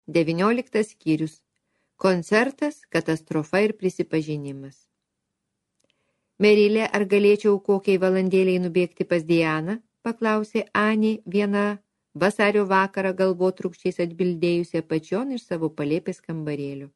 19 skyrius. Koncertas, katastrofa ir prisipažinimas. Merilė, ar galėčiau kokiai valandėliai nubėgti pas Dianą? Paklausė Anė vieną vasario vakarą galvotrūkščiais atbildėjusi apačion iš savo palėpės kambarėlio.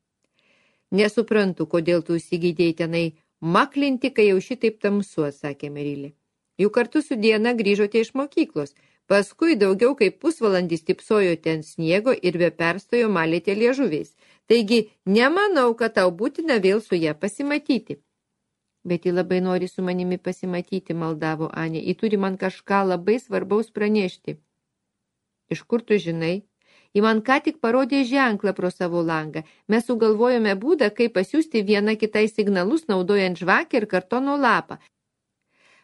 Nesuprantu, kodėl tu įsigydėjai tenai maklinti, kai jau šitaip tamsu, atsakė Merilė. Juk kartu su Diana grįžote iš mokyklos. Paskui daugiau kaip pusvalandį stipsojo ten sniego ir be perstojo malėte liežuviais. Taigi, nemanau, kad tau būtina vėl su ją pasimatyti. Bet ji labai nori su manimi pasimatyti, maldavo Anė. Ji turi man kažką labai svarbaus pranešti. Iš kur tu žinai? Ji man ką tik parodė ženklą pro savo langą. Mes sugalvojome būdą, kaip pasiųsti vieną kitai signalus, naudojant žvakę ir kartono lapą.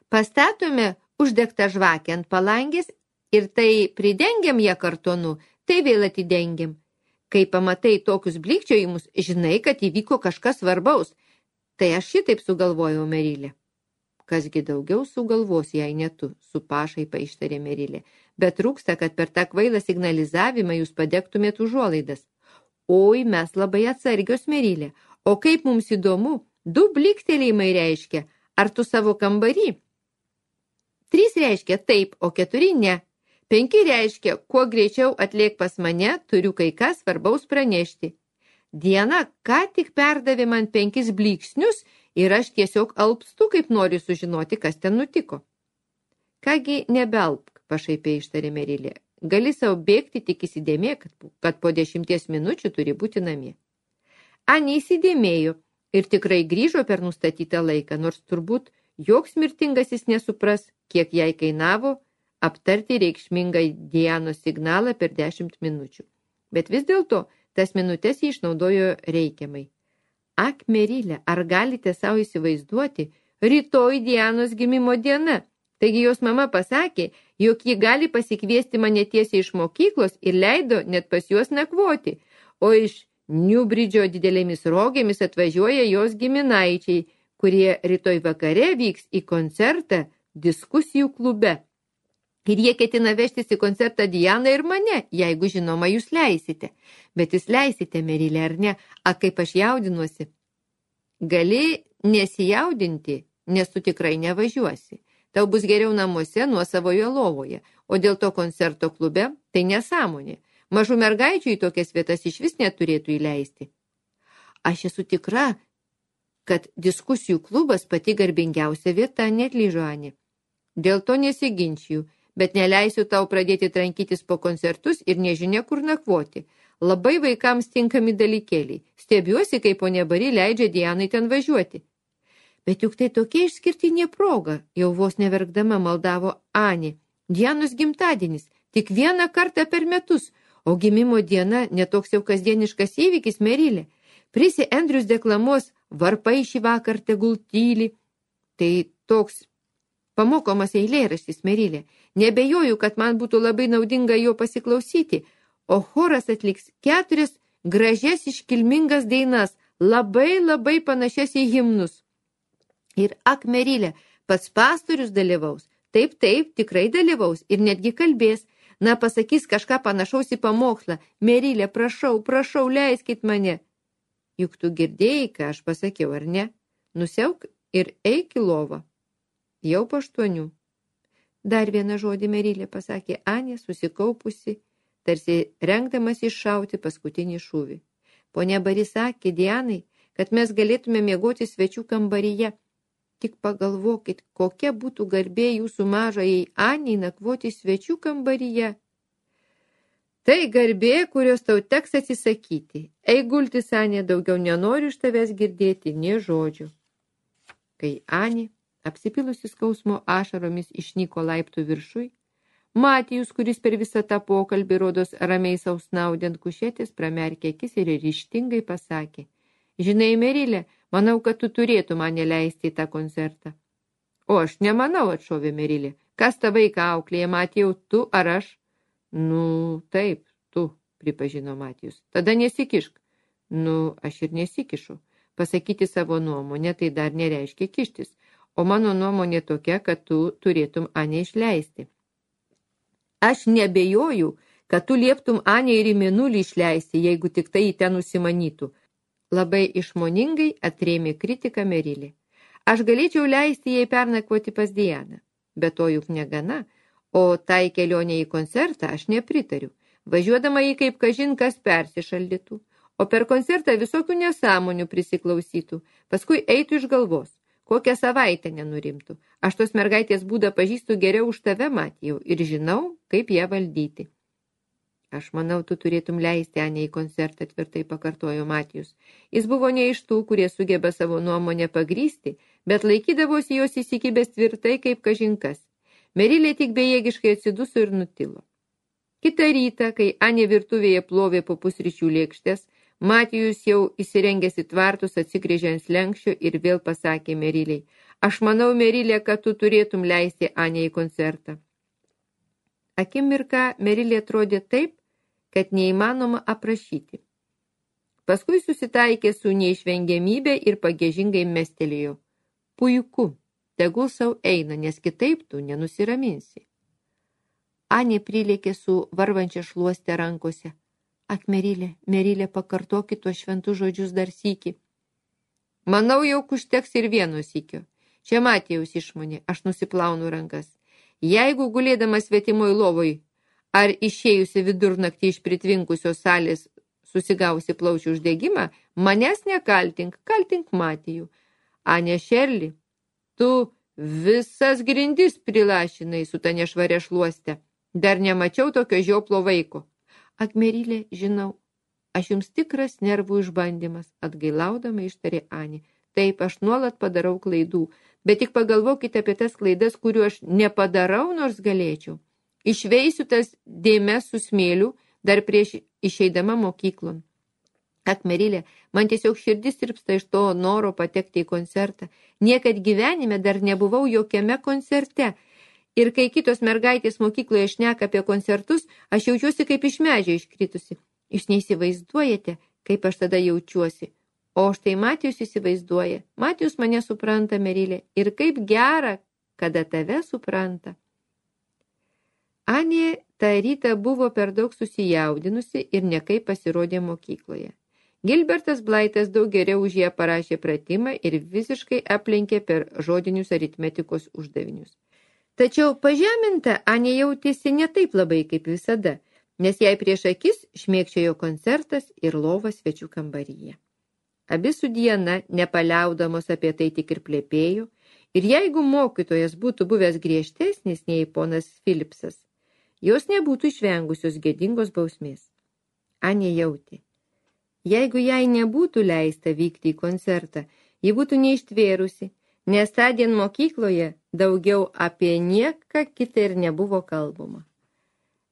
Pastatome uždegtą žvakę ant palangės ir tai pridengiam ją kartonu, tai vėl atidengiam. Kai pamatai tokius blikčiojimus, žinai, kad įvyko kažkas svarbaus. Tai aš šitaip sugalvojau, Merilė. Kasgi daugiau sugalvos, jei ne tu, su pašaipa ištarė Merilė. Bet trūksta, kad per tą kvailą signalizavimą jūs padegtumėt užuolaidas. Oi, mes labai atsargios, Merilė. O kaip mums įdomu, 2 bliktelėjimai reiškia, ar tu savo kambarį? 3 reiškia taip, o 4 ne. 5 reiškia, kuo greičiau atliek pas mane, turiu kai ką svarbaus pranešti. Diana ką tik perdavė man 5 blyksnius ir aš tiesiog alpstu, kaip noriu sužinoti, kas ten nutiko. Kągi nebelpk, pašaipiai ištarė Merilė. Gali savo bėgti, tik įsidėmė, kad po 10 minučių turi būti namie. Anė įsidėmėjo ir tikrai grįžo per nustatytą laiką, nors turbūt joks mirtingasis nesupras, kiek jai kainavo aptarti reikšmingą Dianos signalą per 10 minučių. Bet vis dėlto, tas minutės jį išnaudojo reikiamai. Ak, Merilė, ar galite savo įsivaizduoti, rytoj Dianos gimimo diena. Taigi jos mama pasakė, jog ji gali pasikviesti mane tiesiai iš mokyklos ir leido net pas juos nakvoti, o iš Newbridge'o didelėmis rogėmis atvažiuoja jos giminaičiai, kurie rytoj vakare vyks į koncertą diskusijų klube. Ir jie ketina vežtis į koncertą Dianą ir mane, jeigu žinoma jūs leisite. Bet jūs leisite, Merilė, ar ne? A, kaip aš jaudinuosi. Gali nesijaudinti, nes tu tikrai nevažiuosi. Tau bus geriau namuose nuo savoje lovoje, o dėl to koncerto klube tai nesąmonė. Mažų mergaičių į tokias vietas iš vis neturėtų įleisti. Aš esu tikra, kad diskusijų klubas pati garbingiausia vieta, neatlyžo Anė. Dėl to nesiginčiju, bet neleisiu tau pradėti trankytis po koncertus ir nežinia kur nakvoti. Labai vaikams tinkami dalykėliai. Stebiuosi, kaip ponia Bari leidžia Dianai ten važiuoti. Bet juk tai tokia išskirtinė proga, jau vos neverkdama maldavo Anė. Dianos gimtadienis, tik 1 kartą per metus, o gimimo diena netoks jau kasdieniškas įvykis, Merilė. Prisi Andrius deklamuos varpai šį vakar tegul tyli. Tai toks pamokomas eilėraštis, Merilė. Nebejoju, kad man būtų labai naudinga jo pasiklausyti, o choras atliks 4 gražias iškilmingas dainas, labai panašias į himnus. Ir ak, Merilė, pats pastorius dalyvaus. Taip, tikrai dalyvaus ir netgi kalbės. Na, pasakys kažką panašaus į pamokslą. Merilė, prašau, leiskit mane. Juk tu girdėjai, ką aš pasakiau, ar ne? Nusiauk ir eik į lovą. Jau po 8. Dar vieną žodį, Merilė, pasakė Anė, susikaupusi, tarsi rengdamas iššauti paskutinį šūvį. Ponia Bari sakė Dianai, kad mes galėtume miegoti svečių kambaryje. Tik pagalvokit, kokia būtų garbė jūsų mažajai Anei nakvoti svečių kambaryje. Tai garbė, kurios tau teks atsisakyti. Eik gultis, Anė, daugiau nenoriu iš tavęs girdėti nė žodžių. Kai Anė, apsipilusi skausmo ašaromis, išnyko laiptų viršui, Matijus, kuris per visą tą pokalbį rodos ramiai sausnaudė ant kušetės, pramerkė akis ir ryžtingai pasakė: Žinai, Merilė, manau, kad tu turėtų mane leisti į tą koncertą. O aš nemanau, atšovė Merilė. Kas tą vaiką auklėja, Matijau, tu ar aš? Nu, taip, tu, pripažino Matijus. Tada nesikišk. Nu, aš ir nesikišu. Pasakyti savo nuomonę tai dar nereiškia kištis. O mano nuomonė tokia, kad tu turėtum Anę išleisti. Aš nebejoju, kad tu lieptum Anę ir į mėnulį išleisti, jeigu tik tai į ten užsimanytų. Labai išmoningai atrėmė kritiką Merilė. Aš galėčiau leisti jai pernakvoti pas Dianą, bet to juk negana, o tai kelionė į koncertą aš nepritariu. Važiuodama jį kaip kažin kas persišaldytų, o per koncertą visokių nesąmonių prisiklausytų, paskui eitų iš galvos, kokią savaitę nenurimtų. Aš tos mergaitės būdą pažįstu geriau už tave, Matijau, ir žinau, kaip ją valdyti. Aš manau, tu turėtum leisti Anę į koncertą, tvirtai pakartojo Matijus. Jis buvo ne iš tų, kurie sugeba savo nuomonę pagrysti, bet laikydavosi jos įsikibęs tvirtai kaip kažinkas. Merilė tik bejėgiškai atsiduso ir nutilo. Kitą rytą, kai Anė virtuvėje plovė po pusryčių lėkštės, Matijus jau įsirengęs į tvartus atsigrėžė ant slenkščio ir vėl pasakė Meriliai, aš manau, Merilė, kad tu turėtum leisti Anę į koncertą. Akimirką Merilė atrodė taip, kad neįmanoma aprašyti. Paskui susitaikė su neišvengiamybė ir pagiežingai mestelėjo. Puiku, tegul sau eina, nes kitaip tu nenusiraminsi. Anė prilėkė su varvančia šluoste rankose. Ak, Merilė, pakartokit tuos šventus žodžius dar sykį. Manau, jau užteks ir vieno sykio. Čia Matijaus išmonė, aš nusiplaunu rankas. Jeigu gulėdamas svetimoj lovoj ar išėjusi vidurnaktį iš pritvinkusios salės susigausi plaučių uždegimą, manęs nekaltink, kaltink Matijų. Anė Šerli, tu visas grindis prilašinai su ta nešvaria šluoste. Dar nemačiau tokio žioplo vaiko. Ak, Merilė, žinau, aš jums tikras nervų išbandymas, atgailaudama ištarė Anė. Taip, aš nuolat padarau klaidų, bet tik pagalvokite apie tas klaidas, kurių aš nepadarau, nors galėčiau. Išveisiu tas dėmes su smėliu dar prieš išeidama mokyklon. Ak, Merilė, man tiesiog širdis tirpsta iš to noro patekti į koncertą. Niekad gyvenime dar nebuvau jokiame koncerte. Ir kai kitos mergaitės mokykloje šneka apie koncertus, aš jaučiuosi kaip iš medžio iškritusi. Jūs neįsivaizduojate, kaip aš tada jaučiuosi. O štai Matijus įsivaizduoja. Matijus mane supranta, Merilė. Ir kaip gera, kada tave supranta. Anė tą rytą buvo per daug susijaudinusi ir nekaip pasirodė mokykloje. Gilbertas Blaitas daug geriau už ją parašė pratimą ir visiškai aplenkė per žodinius aritmetikos uždavinius. Tačiau pažeminta Anė jautėsi ne taip labai kaip visada, nes jai prieš akis šmėkčiojo koncertas ir lova svečių kambaryje. Abi su Diana, nepaliaudamos apie tai tik ir plepėjo, ir jeigu mokytojas būtų buvęs griežtesnis nei ponas Philipsas, jos nebūtų išvengusios gėdingos bausmės. Anė jautė. Jeigu jai nebūtų leista vykti į koncertą, ji būtų neištvėrusi, nes tądien mokykloje daugiau apie nieką kitą ir nebuvo kalbama.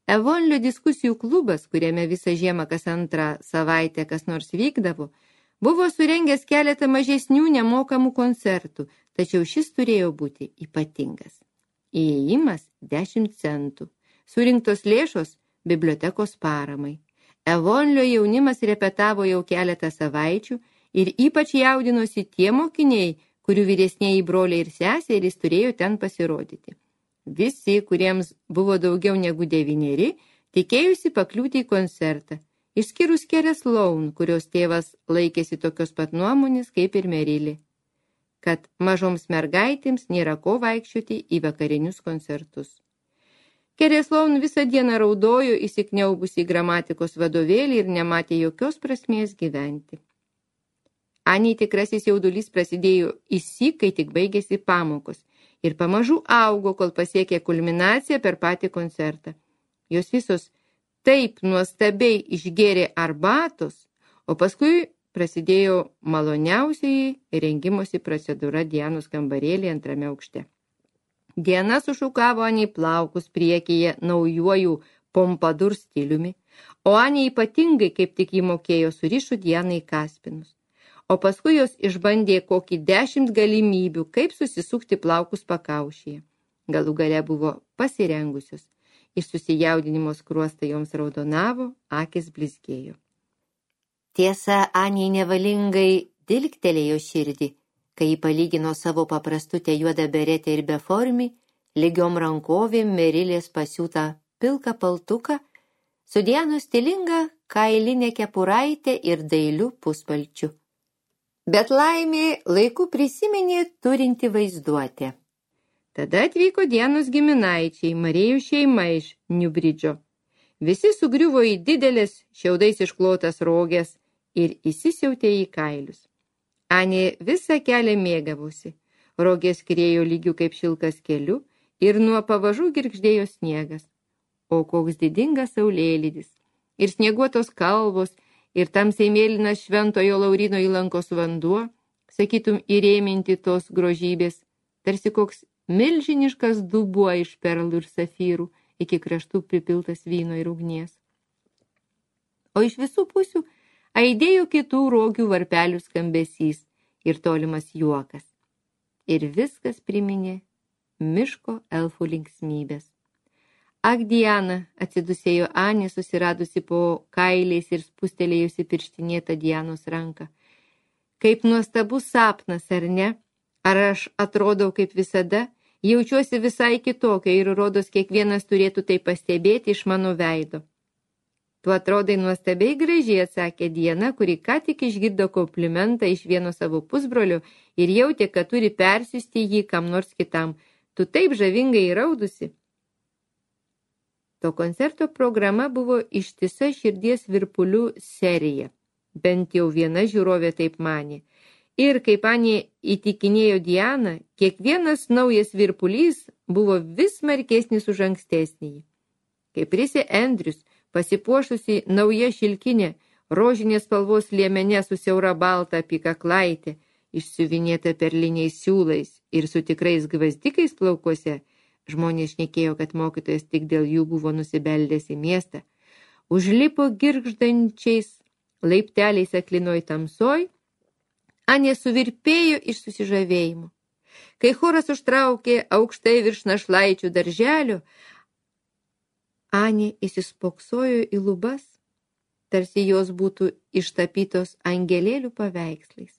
Evonlio diskusijų klubas, kuriame visą žiemą kas antrą savaitę kas nors vykdavo, buvo surengęs keletą mažesnių nemokamų koncertų, tačiau šis turėjo būti ypatingas. Įėjimas 10 centų. Surinktos lėšos bibliotekos paramai. Evonlio jaunimas repetavo jau keletą savaičių ir ypač jaudinosi tie mokiniai, kurių vyresnieji broliai ir seserys turėjo ten pasirodyti. Visi, kuriems buvo daugiau negu 9, tikėjusi pakliūti į koncertą, išskyrus Kerę Sloan, kurios tėvas laikėsi tokios pat nuomonės kaip ir Merilė, kad mažoms mergaitėms nėra ko vaikščioti į vakarinius koncertus. Kerė Sloan visą dieną raudojo įsikniaubusi į gramatikos vadovėlį ir nematė jokios prasmės gyventi. Anei tikrasis jaudulys prasidėjo įsyk, kai tik baigėsi pamokos ir pamažu augo, kol pasiekė kulminaciją per patį koncertą. Jos visos taip nuostabiai išgėrė arbatos, o paskui prasidėjo maloniausiai rengimosi procedūra Dianos kambarėlį antrame aukšte. Diana sušukavo Anei plaukus priekyje naujuoju pompadur stiliumi, o Anė ypatingai, kaip tik jį mokėjo, surišo Dianai kaspinus. O paskui jos išbandė kokį 10 galimybių, kaip susisukti plaukus pakaušyje. Galų gale buvo pasirengusios. Iš susijaudinimo skruostai joms raudonavo, akis blizgėjo. Tiesa, Anei nevalingai dilgtelėjo širdį, kai jį palygino savo paprastutę juodą beretę ir beformį, lygiom rankovėm Merilės pasiūtą pilką paltuką su Dianos stilinga kailinė kepuraitė ir dailiu puspalčiu. Bet laimė laiku prisiminė turinti vaizduotę. Tada atvyko Dianos giminaičiai, Marijų šeima iš Niubridžo. Visi sugriuvo į didelės šiaudais išklotas roges ir įsisiautė į kailius. Anė visą kelią mėgavosi. Rogės skriejo lygių kaip šilkas keliu ir nuo pavažų girgždėjo sniegas. O koks didingas saulėlydis. Ir snieguotos kalvos, ir tamsiai mėlynas Šventojo Laurino įlankos vanduo, sakytum įrėminti tos grožybės, tarsi koks milžiniškas dubuo iš perlų ir safyrų, iki kraštų pripiltas vyno ir ugnies. O iš visų pusių aidėjo kitų rogių varpelių skambesys ir tolimas juokas. Ir viskas priminė miško elfų linksmybės. Ak, Diana, atsidusėjo Anė, susiradusi po kailiais ir spustelėjusi pirštinėtą Dianos ranką. Kaip nuostabus sapnas, ar ne? Ar aš atrodau kaip visada? Jaučiuosi visai kitokia ir rodos kiekvienas turėtų tai pastebėti iš mano veido. Tu atrodai nuostabiai gražiai, atsakė Diana, kuri ką tik išgirdo komplimentą iš vieno savo pusbrolio ir jautė, kad turi persiųsti jį kam nors kitam. Tu taip žavingai įraudusi. To koncerto programa buvo ištisa širdies virpulių serija. Bent jau viena žiūrovė taip manė. Ir kaip Anė įtikinėjo Dianą, kiekvienas naujas virpulys buvo vis smarkesnis už ankstesnį. Kaip Prisė Andrius, pasipuošusi nauja šilkinė, rožinės spalvos liemenė su siaura balta apykaklaitė, išsiuvinėta perliniais siūlais ir su tikrais gvazdikais plaukuose, žmonės šnekėjo, kad mokytojas tik dėl jų buvo nusibeldęs į miestą, užlipo girgždančiais laipteliais aklinoj tamsoj, Anė suvirpėjo iš susižavėjimo. Kai choras užtraukė aukštai virš našlaičių darželio, Anė įsispoksojo į lubas, tarsi jos būtų ištapytos angelėlių paveikslais.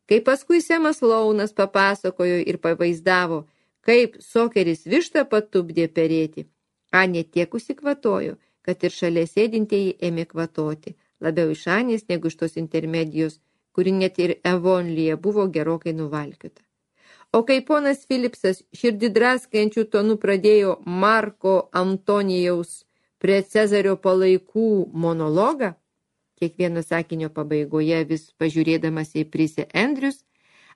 Kai paskui Semas Launas papasakojo ir pavaizdavo, kaip Sokeris vištą patupdė perėti, Anė tiek užsikvatojo, kad ir šalia sėdintieji ėmė kvatoti, labiau iš Anės negu iš tos intermedijos, kuri net ir Evonlyje buvo gerokai nuvalkiota. O kai ponas Filipsas širdį draskančių tonų pradėjo Marko Antonijaus prie Cezario palaikų monologą, kiekvieno sakinio pabaigoje vis pažiūrėdamas į Prisę Andrius,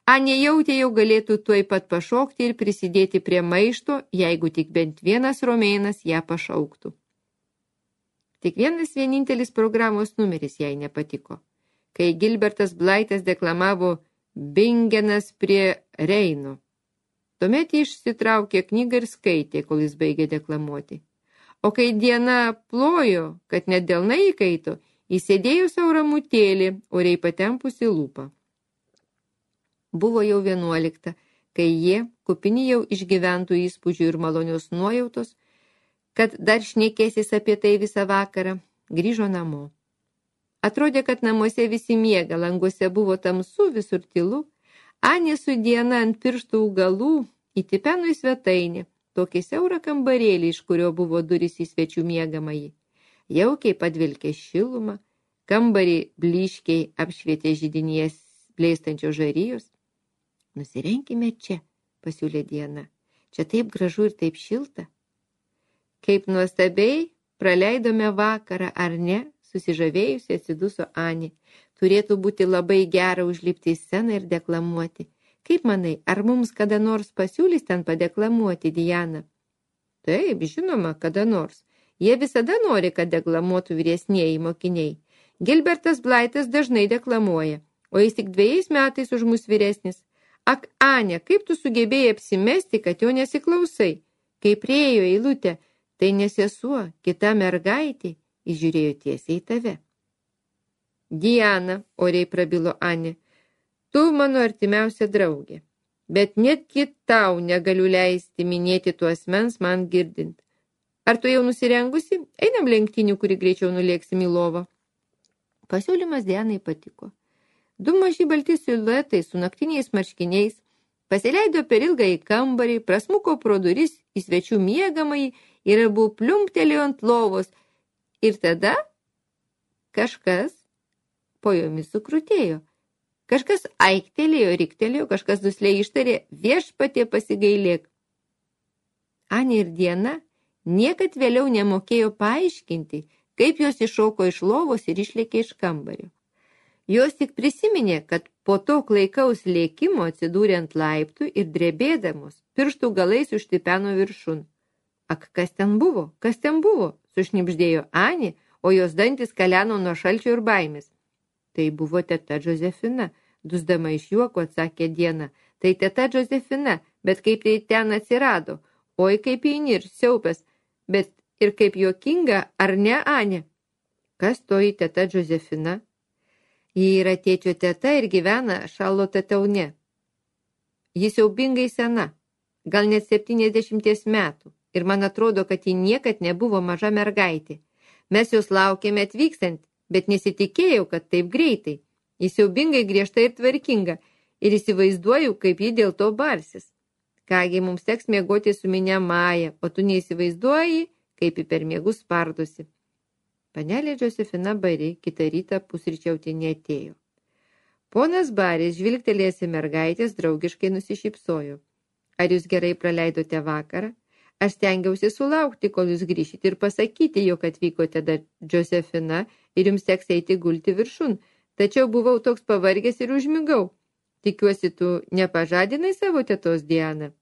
Anė jautė jau galėtų tuoj pat pašokti ir prisidėti prie maišto, jeigu tik bent vienas romėnas ją pašauktų. Tik vienintelis programos numeris jai nepatiko. Kai Gilbertas Blaitas deklamavo Bingenas prie Reino. Tuomet išsitraukė knygą ir skaitė, kol jis baigė deklamuoti. O kai Diana plojo, kad net delnai įkaito, įsėdėjo savo ramutėlį, oriai patempusi lūpą. Buvo jau 11, kai jie, kupini jau išgyventų įspūdžių ir malonios nuojautos, kad dar šnekėsis apie tai visą vakarą, grįžo namo. Atrodė, kad namuose visi miega, languose buvo tamsu, visur tylu. Anė su Diana ant pirštų galų įtipeno į svetainę, tokį siaurą kambarėlį, iš kurio buvo durys į svečių miegamąjį. Jaukiai padvilkė šilumą, kambarį blyškiai apšvietė židinės blėstančios žarijos. Nusirenkime čia, pasiūlė Diana. Čia taip gražu ir taip šilta. Kaip nuostabiai praleidome vakarą, ar ne? Susižavėjusi atsiduso Anė. Turėtų būti labai gera užlipti į sceną ir deklamuoti. Kaip manai, ar mums kada nors pasiūlys ten padeklamuoti, Diana? Taip, žinoma, kada nors. Jie visada nori, kad deklamuotų vyresnieji mokiniai. Gilbertas Blaitas dažnai deklamuoja, o jis tik 2 metais už mus vyresnis. Ak, Anė, kaip tu sugebėjai apsimesti, kad jo nesiklausai? Kai priėjo eilutė, tai ne sesuo, kita mergaitė, įžiūrėjo tiesiai į tave. Diana, oriai prabilo Anė, tu mano artimiausia draugė, bet netgi tau negaliu leisti minėti tų asmens man girdint. Ar tu jau nusirengusi? Einam lenktynių, kuri greičiau nulėksim į lovą. Pasiūlymas Dianai patiko. 2 maži balti siluetai su naktiniais marškiniais pasileido per ilgą į kambarį, prasmuko pro duris į svečių miegamąjį ir abu pliumptelėjo ant lovos Ir tada kažkas po jomis sukrutėjo. Kažkas aiktelėjo, riktelėjo, kažkas dusliai ištarė, viešpatie pasigailėk. Anė ir Diena niekad vėliau nemokėjo paaiškinti, kaip jos iššoko iš lovos ir išlėkė iš kambario. Jos tik prisiminė, kad po to klaikaus lėkimo atsidūrė ant laiptų ir drebėdamos pirštų galais užtipeno viršun. Ak, kas ten buvo? Kas ten buvo? Sušnibždėjo Anė, o jos dantis kaleno nuo šalčio ir baimės. Tai buvo teta Džozefina, dusdama iš juoko atsakė Diena. Tai teta Džozefina, bet kaip tai ten atsirado? Oi, kaip įnir, siaupės, bet ir kaip juokinga, ar ne, Anė? Kas toji teta Džozefina? Ji yra tėčio teta ir gyvena Šarlote Taune. Ji siaubingai sena, gal net 70 metų, ir man atrodo, kad ji niekad nebuvo maža mergaitė. Mes jos laukėme atvykstant, bet nesitikėjau, kad taip greitai. Ji siaubingai griežta ir tvarkinga, ir įsivaizduoju, kaip ji dėl to barsis. Kągi, mums teks miegoti su minia Maja, o tu neįsivaizduoji, kaip ji per miegus spardosi. Panelė Džozefina Bari kitą rytą pusryčiauti neatėjo. Ponas Baris, žvilgtelėjęs į mergaitės, draugiškai nusišypsojo. Ar jūs gerai praleidote vakarą? Aš stengiausi sulaukti, kol jūs grįšite ir pasakyti, jog atvykote dar Džozefina ir jums teks eiti gulti viršun, tačiau buvau toks pavargęs ir užmigau. Tikiuosi, tu nepažadinai savo tetos Dianą.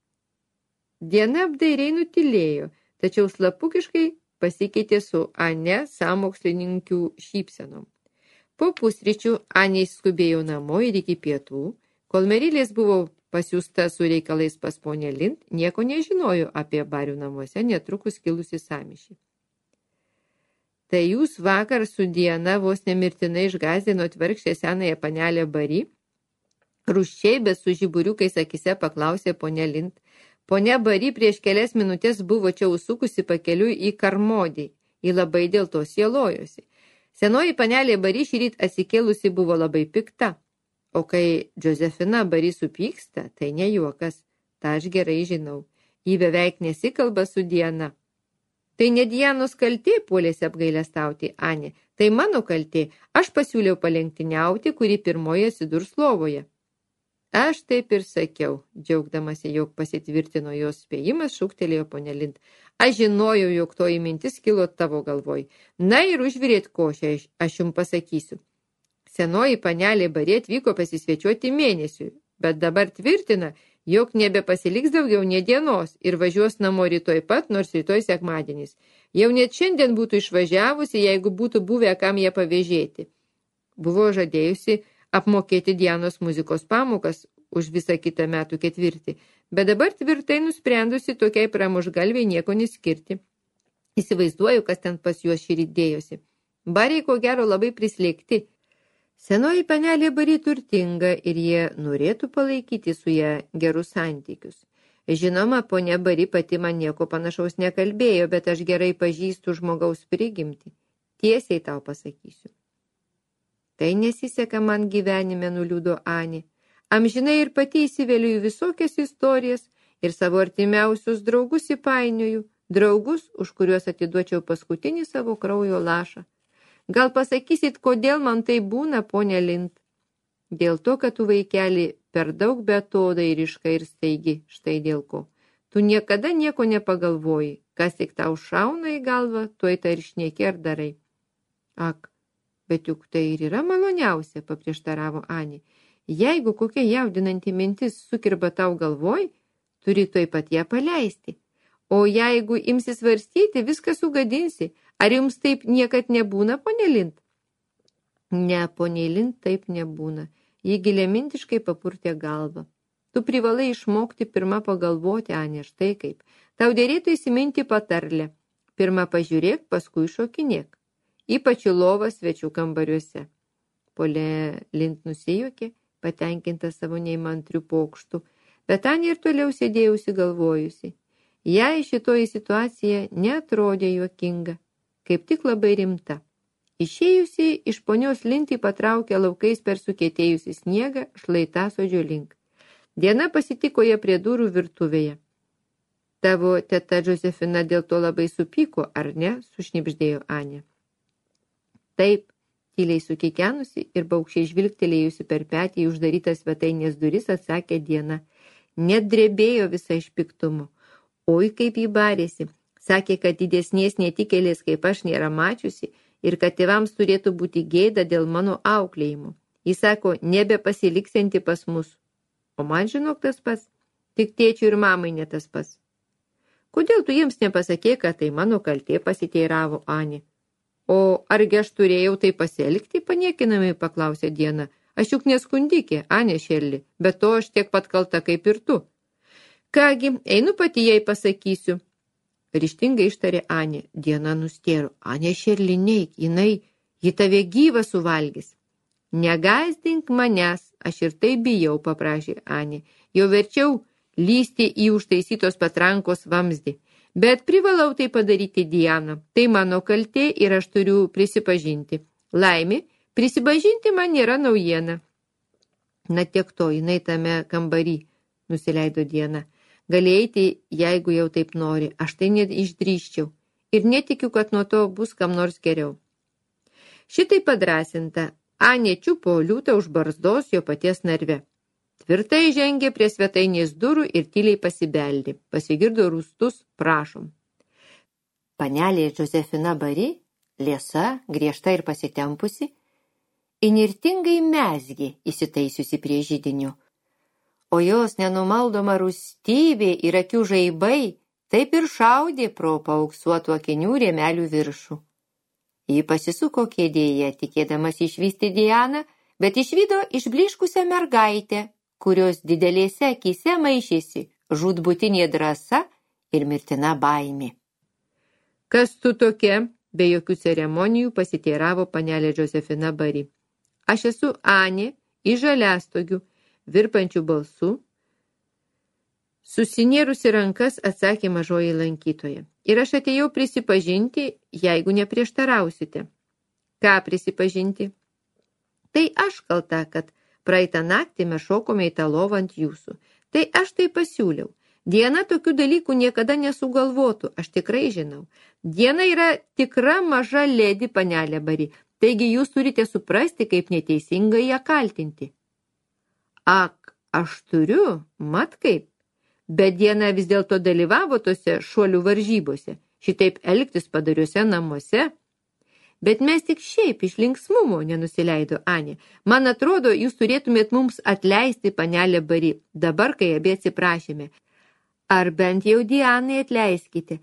Diena apdairiai nutilėjo, tačiau slapukiškai pasikeitė su Ane sąmokslininkių šypsenom. Po pusryčių Anė skubėjo namo ir iki pietų, kol Merilės buvo pasiųsta su reikalais pas ponę Lind, nieko nežinojo apie Barių namuose netrukus kilusi sąmyšį. Tai jūs vakar su Diana vos nemirtinai išgąsdinot vargšę senąją panelę Bari? Rūsčiai, bet su žiburiukais akise paklausė ponė Lind. Ponia Bari prieš kelias minutės buvo čia užsukusi pakeliui į Karmodį. Ji labai dėl to sielojosi. Senoji panelė Bari šįryt atsikėlusi buvo labai pikta. O kai Džozefina Bari supyksta, tai ne juokas. Ta aš gerai žinau. Ji beveik nesikalba su Diana. Tai ne Dianos kaltė, puolėsi apgailestauti Anė. Tai mano kaltė. Aš pasiūliau palenktyniauti, kuri pirmoje atsidurs lovoje. Aš taip ir sakiau, džiaugdamasi, jog pasitvirtino jos spėjimas, šūktelėjo ponė Lind. Aš žinojau, jog toji mintis kilo tavo galvoj. Na ir užvirėt košę, aš jums pasakysiu. Senoji panelė Bari atvyko pasisvečiuoti mėnesiui, bet dabar tvirtina, jog nebepasiliks daugiau nė dienos ir važiuos namo rytoj pat, nors rytoj sekmadienis. Jau net šiandien būtų išvažiavusi, jeigu būtų buvę kam ją pavėžėti. Buvo žadėjusi apmokėti Dianos muzikos pamokas už visą kitą metų ketvirtį, bet dabar tvirtai nusprendusi tokiai pramuštgalviai nieko neskirti. Įsivaizduoju, kas ten pas juos šįryt dėjosi. Bariai ko gero labai prislėgti. Senoji panelė Bari turtinga ir jie norėtų palaikyti su ją gerus santykius. Žinoma, ponia Bari pati man nieko panašaus nekalbėjo, bet aš gerai pažįstu žmogaus prigimtį. Tiesiai tau pasakysiu. Tai nesiseka man gyvenime, nuliūdo Anė. Amžinai ir pati įsiveliu į visokias istorijas ir savo artimiausius draugus įpainioju, draugus, už kuriuos atiduočiau paskutinį savo kraujo lašą. Gal pasakysit, kodėl man tai būna, ponė Lind? Dėl to, kad tu, vaikeli, per daug beatodairiška ir staigi, štai dėl ko. Tu niekada nieko nepagalvoji, kas tik tau šauna į galvą, tuoj tai ir šneki ar darai. Ak, bet juk tai ir yra maloniausia, paprieštaravo Anė. Jeigu kokia jaudinanti mintis sukirba tau galvoj, turi tuoj pat ją paleisti. O jeigu imsi svarstyti, viską sugadinsi. Ar jums taip niekad nebūna, ponė Lind? Ne, ponė Lind, taip nebūna. Ji giliamintiškai papurtė galvą. Tu privalai išmokti pirmą pagalvoti, Anė, štai kaip. Tau dėrėtų įsiminti patarlę. Pirmą pažiūrėk, paskui šokinėk. Ypač į lovą svečių kambariuose. Ponė Lind nusijuokė, patenkinta savo neįmantrių pokštų, bet Anė ir toliau sėdėjusi galvojusi. Jai šitoji situacija neatrodė juokinga, kaip tik labai rimta. Išėjusi iš ponios Lind patraukė laukais per sukietėjusi sniegą šlaitasodžio link. Diena pasitiko ją prie durų virtuvėje. Tavo teta Džozefina dėl to labai supyko, ar ne? Sušnibždėjo Anė. Taip, tyliai sukikenusi ir baukščiai žvilgtelėjusi per petį į uždarytas svetainės duris, atsakė Diena. Net drebėjo visą iš piktumo. Oi, kaip jį barėsi. Sakė, kad didesnės netikėlės kaip aš nėra mačiusi ir kad tėvams turėtų būti gėda dėl mano auklėjimo. Jis sako, nebepasiliksianti pas mus. O man žinok tas pats. Tik tėčiui ir mamai ne tas pats. Kodėl tu jiems nepasakė, kad tai mano kaltė, pasiteiravo Anė. O argi aš turėjau tai pasielgti, paniekinamai paklausė Diena. Aš juk neskundikė, Anė Šerli, bet to aš tiek pat kalta kaip ir tu. Kągi, einu pati jai pasakysiu. Ryžtingai ištarė Anė. Diena nustėro. Anė Šerli, neik, ji tave gyvą suvalgys. Negąsdink manęs, aš ir tai bijau, paprašė Anė. Jau verčiau lysti į užtaisytos patrankos vamzdį. Bet privalau tai padaryti, Diana. Tai mano kaltė ir aš turiu prisipažinti. Laimė, prisipažinti man nėra naujiena. Na tiek to, jinai tame kambarį, nusileido Diena. Galėjai, jeigu jau taip nori, aš tai neišdrįščiau. Ir netikiu, kad nuo to bus kam nors geriau. Šitai padrasinta, Anė čiupo liūtą už barzdos jo paties narve. Tvirtai žengė prie svetainės durų ir tyliai pasibeldė. Pasigirdo rūstus, prašom. Panelė Džozefina Bari, liesa, griežta ir pasitempusi, įnirtingai mezgė įsitaisiusi prie židinio. O jos nenumaldoma rūstybė ir akių žaibai taip ir šaudė pro paauksuotų akinių rėmelių viršų. Ji pasisuko kėdėje, tikėdamas išvysti Dianą, bet išvydo išbliškusią mergaitę, kurios didelėse akyse maišėsi žūtbūtinė drąsa ir mirtina baimė. Kas tu tokia? Be jokių ceremonijų pasiteiravo panelė Džozefina Bari. Aš esu Anė iš Žaliastogių, virpančių balsų. Susinėrusi rankas atsakė mažoji lankytoja. Ir aš atėjau prisipažinti, jeigu neprieštarausite. Ką prisipažinti? Tai aš kalta, kad praeitą naktį mes šokome į tą lovą ant jūsų. Tai aš tai pasiūliau. Diena tokių dalykų niekada nesugalvotų, aš tikrai žinau. Diena yra tikra maža ledi, panelė Bari, taigi jūs turite suprasti, kaip neteisingai ją kaltinti. Ak, aš turiu, mat kaip. Bet Diena vis dėlto dalyvavo tose šuolių varžybose, šitaip elgtis padariuose namuose. Bet mes tik šiaip iš linksmumo, nenusileido Anė. Man atrodo, jūs turėtumėt mums atleisti, panelė Bari, dabar, kai abi atsiprašėme. Ar bent jau Dianai atleiskite.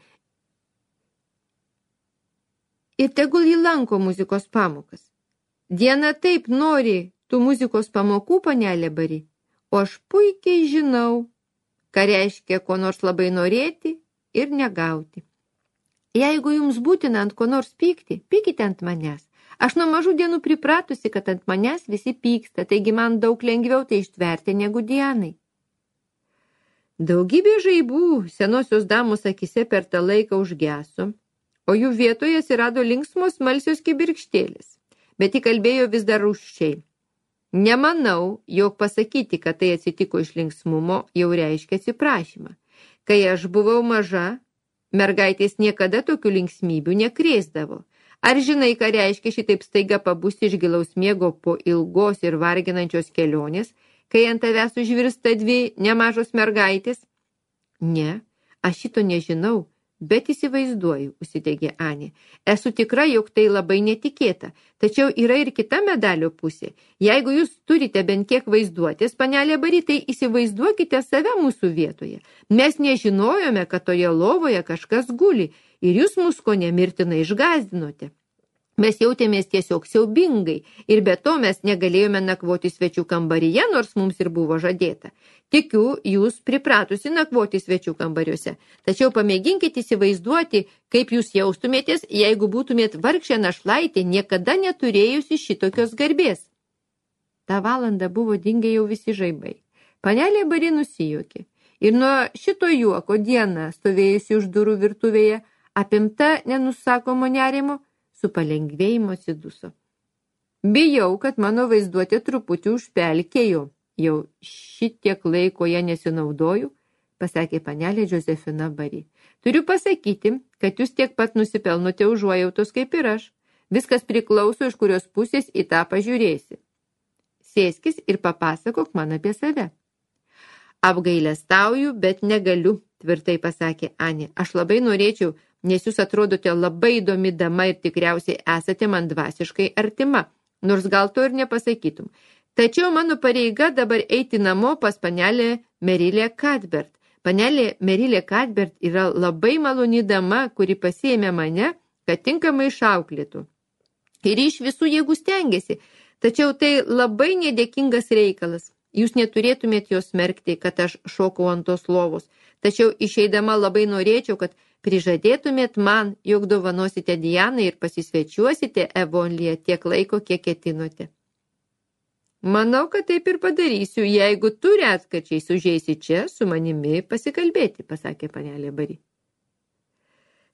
Ir tegul ji lanko muzikos pamokas. Diana taip nori tų muzikos pamokų, panelė Bari, o aš puikiai žinau, ką reiškia ko nors labai norėti ir negauti. Jeigu jums būtina ant ko nors pykti, pykite ant manęs. Aš nuo mažų dienų pripratusi, kad ant manęs visi pyksta, taigi man daug lengviau tai ištverti negu Dianai. Daugybė žaibų senosios damos akise per tą laiką užgeso, o jų vietoje atsirado linksmos smalsios kibirkštėlės, bet ji kalbėjo vis dar rūsčiai. Nemanau, jog pasakyti, kad tai atsitiko iš linksmumo, jau reiškia atsiprašymą. Kai aš buvau maža, mergaitės niekada tokių linksmybių nekrėsdavo. Ar žinai, ką reiškia šitaip staiga pabusti iš gilaus miego po ilgos ir varginančios kelionės, kai ant tavęs užvirsta dvi nemažos mergaitės? Ne, aš šito nežinau, bet įsivaizduoju, užsidegė Anė. Esu tikra, jog tai labai netikėta, tačiau yra ir kita medalio pusė. Jeigu jūs turite bent kiek vaizduotės, panelė Bari, tai įsivaizduokite save mūsų vietoje. Mes nežinojome, kad toje lovoje kažkas guli ir jūs mus ko nemirtinai išgąsdinote. Mes jautėmės tiesiog siaubingai ir be to mes negalėjome nakvoti svečių kambaryje, nors mums ir buvo žadėta. Tikiu, jūs pripratusi nakvoti svečių kambariuose, tačiau pamėginkite įsivaizduoti, kaip jūs jaustumėtės, jeigu būtumėt vargšė našlaitė, niekada neturėjusi šitokios garbės. Ta valanda buvo dingę jau visi žaibai. Panelė Bari nusijuokė ir nuo šito juoko Diena, stovėjusi už durų virtuvėje, apimta nenusakomo nerimo, su palengvėjimu atsiduso. Bijau, kad mano vaizduotė truputį užpelkėjo. Jau šitiek laiko ją nesinaudoju, pasakė panelė Džozefina Bari. Turiu pasakyti, kad jūs tiek pat nusipelnote užuojautos kaip ir aš. Viskas priklauso, iš kurios pusės į tą pažiūrėsi. Sėskis ir papasakok man apie save. Apgailestauju, bet negaliu, tvirtai pasakė Anė. Aš labai norėčiau, nes jūs atrodote labai įdomi dama ir tikriausiai esate man dvasiškai artima, nors gal to ir nepasakytum. Tačiau mano pareiga dabar eiti namo pas panelę Merilę Cuthbert. Panelė Merilė Cuthbert yra labai maloni dama, kuri pasiėmė mane, kad tinkamai išauklėtų. Ir iš visų jėgų stengiasi, tačiau tai labai nedėkingas reikalas. Jūs neturėtumėt jos smerkti, kad aš šokau ant tos lovos, tačiau išeidama labai norėčiau, kad prižadėtumėt man, jog dovanosite Dianai ir pasisvečiuosite Evonlyje tiek laiko, kiek ketinote. Manau, kad taip ir padarysiu, jeigu tu retkarčiais užeisi čia su manimi pasikalbėti, pasakė panelė Bari.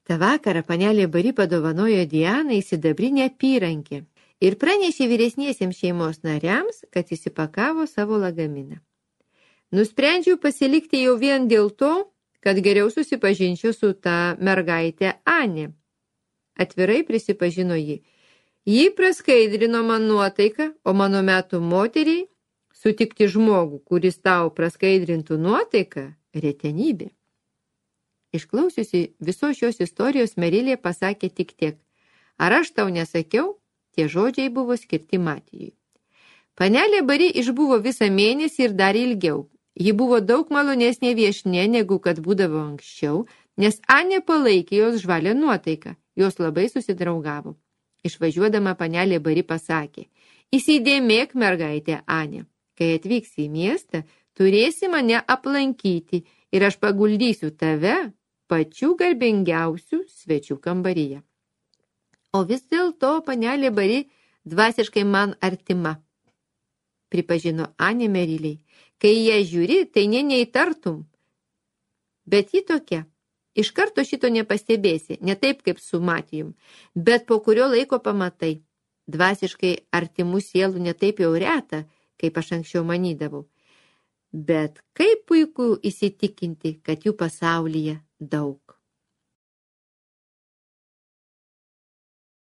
Ta vakarą panelė Bari padovanojo Dianai sidabrinę apyrankę ir pranešė vyresniesiems šeimos nariams, kad įsipakavo savo lagaminą. Nusprendžiau pasilikti jau vien dėl to, kad geriau susipažinčiau su ta mergaitė Anė. Atvirai prisipažino ji. Ji praskaidrino man nuotaiką, o mano metų moteriai sutikti žmogų, kuris tau praskaidrintų nuotaiką, retenybė. Išklausiusi visos šios istorijos, Merilė pasakė tik tiek. Ar aš tau nesakiau? Tie žodžiai buvo skirti Matijui. Panelė Bari išbuvo visą mėnesį ir dar ilgiau. Ji buvo daug malonesnė viešne, negu kad būdavo anksčiau, nes Anė palaikė jos žvalę nuotaiką. Jos labai susidraugavo. Išvažiuodama panelė Bari pasakė, įsidėmėk, mergaitė Anė, kai atvyksi į miestą, turėsi mane aplankyti ir aš paguldysiu tave pačių garbingiausių svečių kambaryje. O vis dėlto panelė Bari dvasiškai man artima, pripažino Anė Meriliai. Kai ją žiūri, tai neįtartum. Bet ji tokia. Iš karto šito nepastebėsi, ne taip kaip su Matijum, bet po kurio laiko pamatai. Dvasiškai artimų sielų ne taip jau reta, kaip aš anksčiau manydavau. Bet kaip puiku įsitikinti, kad jų pasaulyje daug.